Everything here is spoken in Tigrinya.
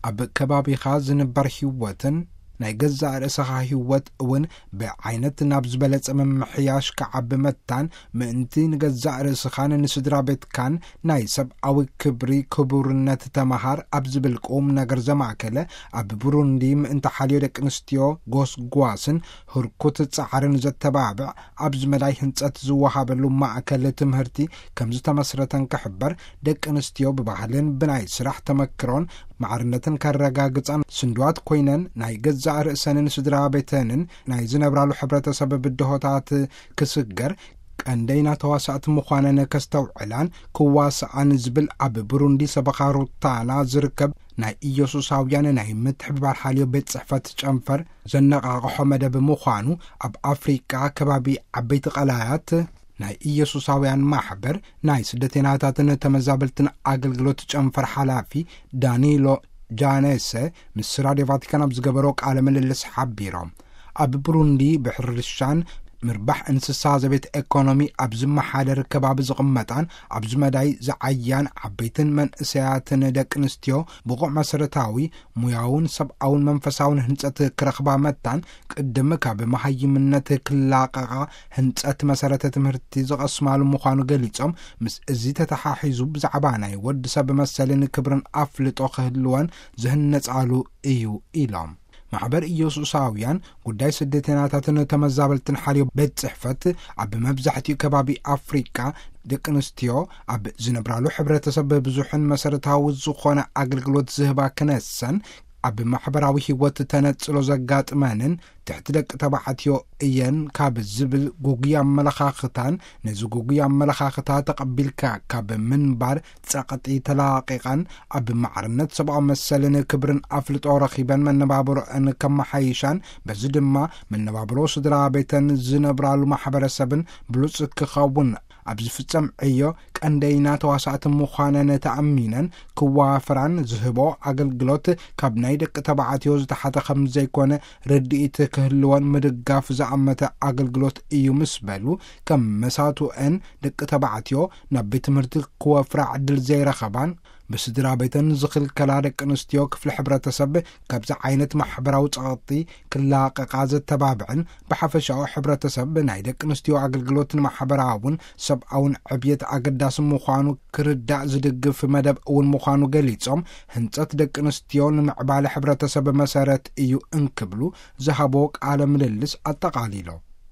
ኣብ ከባቢኻ ዝንበር ህይወትን ናይ ገዛእ ርእስኻ ህይወት እውን ብዓይነት ናብ ዝበለጸ ምምሕያሽ ክዓቢ መታን፣ ምእንቲ ንገዛእ ርእስኻን ንስድራ ቤትካን ናይ ሰብኣዊ ክብሪ ክቡርነት ተመሃር ኣብ ዝብል ቁም ነገር ዘማእከለ፣ ኣብ ብሩንዲ ምእንቲ ሓልዮ ደቂ ኣንስትዮ ጎስጓስን ህርኩት ጻዕርን ዘተባብዕ ኣብዚ መዳይ ህንጸት ዝወሃበሉ ማእከል ትምህርቲ ከም ዝተመስረተን ክሕበር፣ ደቂ ኣንስትዮ ብባህልን ብናይ ስራሕ ተመክሮን ማዕርነትን ከረጋግጻን ስንድዋት ኮይነን ናይ ገዛእ ርእሰንን ስድራ ቤተንን ናይ ዝነብራሉ ሕብረተሰብ ብድሆታት ክስገር ቀንደይና ተዋሳእቲ ምዃነን ከስተውዕላን ክዋስኣን ዝብል ኣብ ብሩንዲ ሰበኻ ሩታና ዝርከብ ናይ ኢየሱሳውያን ናይ ምትሕብባር ሓልዮ ቤት ጽሕፈት ጨንፈር ዘነቓቕሖ መደብ ምዃኑ ኣብ ኣፍሪቃ ከባቢ ዓበይቲ ቀላያት ናይ ኢየሱሳውያን ማሕበር ናይ ስደተይናታትን ተመዛበልትን ኣገልግሎት ጨንፈር ሓላፊ ዳኒሎ ጃኔሰ ምስ ራድዮ ቫቲካን ኣብ ዝገበሮ ቃለ ምልልስ ሓቢሮም። ኣብ ብሩንዲ ብሕርሻን ምርባሕ እንስሳ ዘቤት ኤኮኖሚ ኣብ ዝመሓደር ከባቢ ዝቕመጣን ኣብዚ መዳይ ዝዓያን ዓበይትን መንእሰያትን ደቂ ኣንስትዮ ብቑዕ መሰረታዊ ሙያውን ሰብኣውን መንፈሳውን ህንጸት ክረኽባ መታን ቅድም ካብ መሃይምነት ክላቐቓ ህንጸት መሰረተ ትምህርቲ ዝቐስማሉ ምዃኑ ገሊጾም፣ ምስ እዚ ተተሓሒዙ ብዛዕባ ናይ ወዲ ሰብ መሰልን ክብርን ኣፍልጦ ክህልወን ዝህነጻሉ እዩ ኢሎም። ማሕበር ኢየሱሳውያን ጉዳይ ስደተናታትን ተመዛበልትን ሓልዮ ቤት ጽሕፈት ኣብ መብዛሕትኡ ከባቢ ኣፍሪቃ ደቂ ኣንስትዮ ኣብ ዝነብራሉ ሕብረተሰብ ብዙሕን መሰረታዊ ዝኾነ ኣገልግሎት ዝህባ ክነሰን ኣብ ማሕበራዊ ህይወት ተነጽሎ ዘጋጥመንን ትሕቲ ደቂ ተባዕትዮ እየን ካብ ዝብል ጉጉይ ኣመለኻኽታን ነዚ ጉጉይ ኣመለኻኽታ ተቐቢልካ ካብ ምንባር ጸቕጢ ተላቒቐን ኣብ ማዕርነት ሰብኣዊ መሰልን ክብርን ኣፍልጦ ረኺበን መነባብሮአን ከመሓይሻን በዚ ድማ መነባብሮ ስድራ ቤተን ዝነብራሉ ማሕበረሰብን ብሉጽ ክኸውን ኣብ ዝፍጸም ዕዮ ቀንደይና ተዋሳእቲ ምዃነን ተኣሚነን ክዋፍራን ዝህቦ ኣገልግሎት ካብ ናይ ደቂ ተባዕትዮ ዝተሓተ ከም ዘይኮነ ርድኢት ክህልወን ምድጋፍ ዝኣመተ ኣገልግሎት እዩ ምስ በሉ፣ ከም መሳቱአን ደቂ ተባዕትዮ ናብ ቤት ትምህርቲ ክወፍራ ዕድል ዘይረኸባን ብስድራ ቤተን ዝኽልከላ ደቂ ኣንስትዮ ክፍሊ ሕብረተሰብ ካብዚ ዓይነት ማሕበራዊ ጸቕጢ ክላቐቓ ዘተባብዕን ብሓፈሻዊ ሕብረተሰብ ናይ ደቂ ኣንስትዮ ኣገልግሎት ንማሕበራውን ሰብኣውን ዕብየት ኣገዳሲ ምዃኑ ክርዳእ ዝድግፍ መደብ እውን ምዃኑ ገሊጾም፣ ህንጸት ደቂ ኣንስትዮ ንምዕባለ ሕብረተሰብ መሰረት እዩ እንክብሉ ዝሃቦ ቃለ ምልልስ ኣጠቓሊሎም።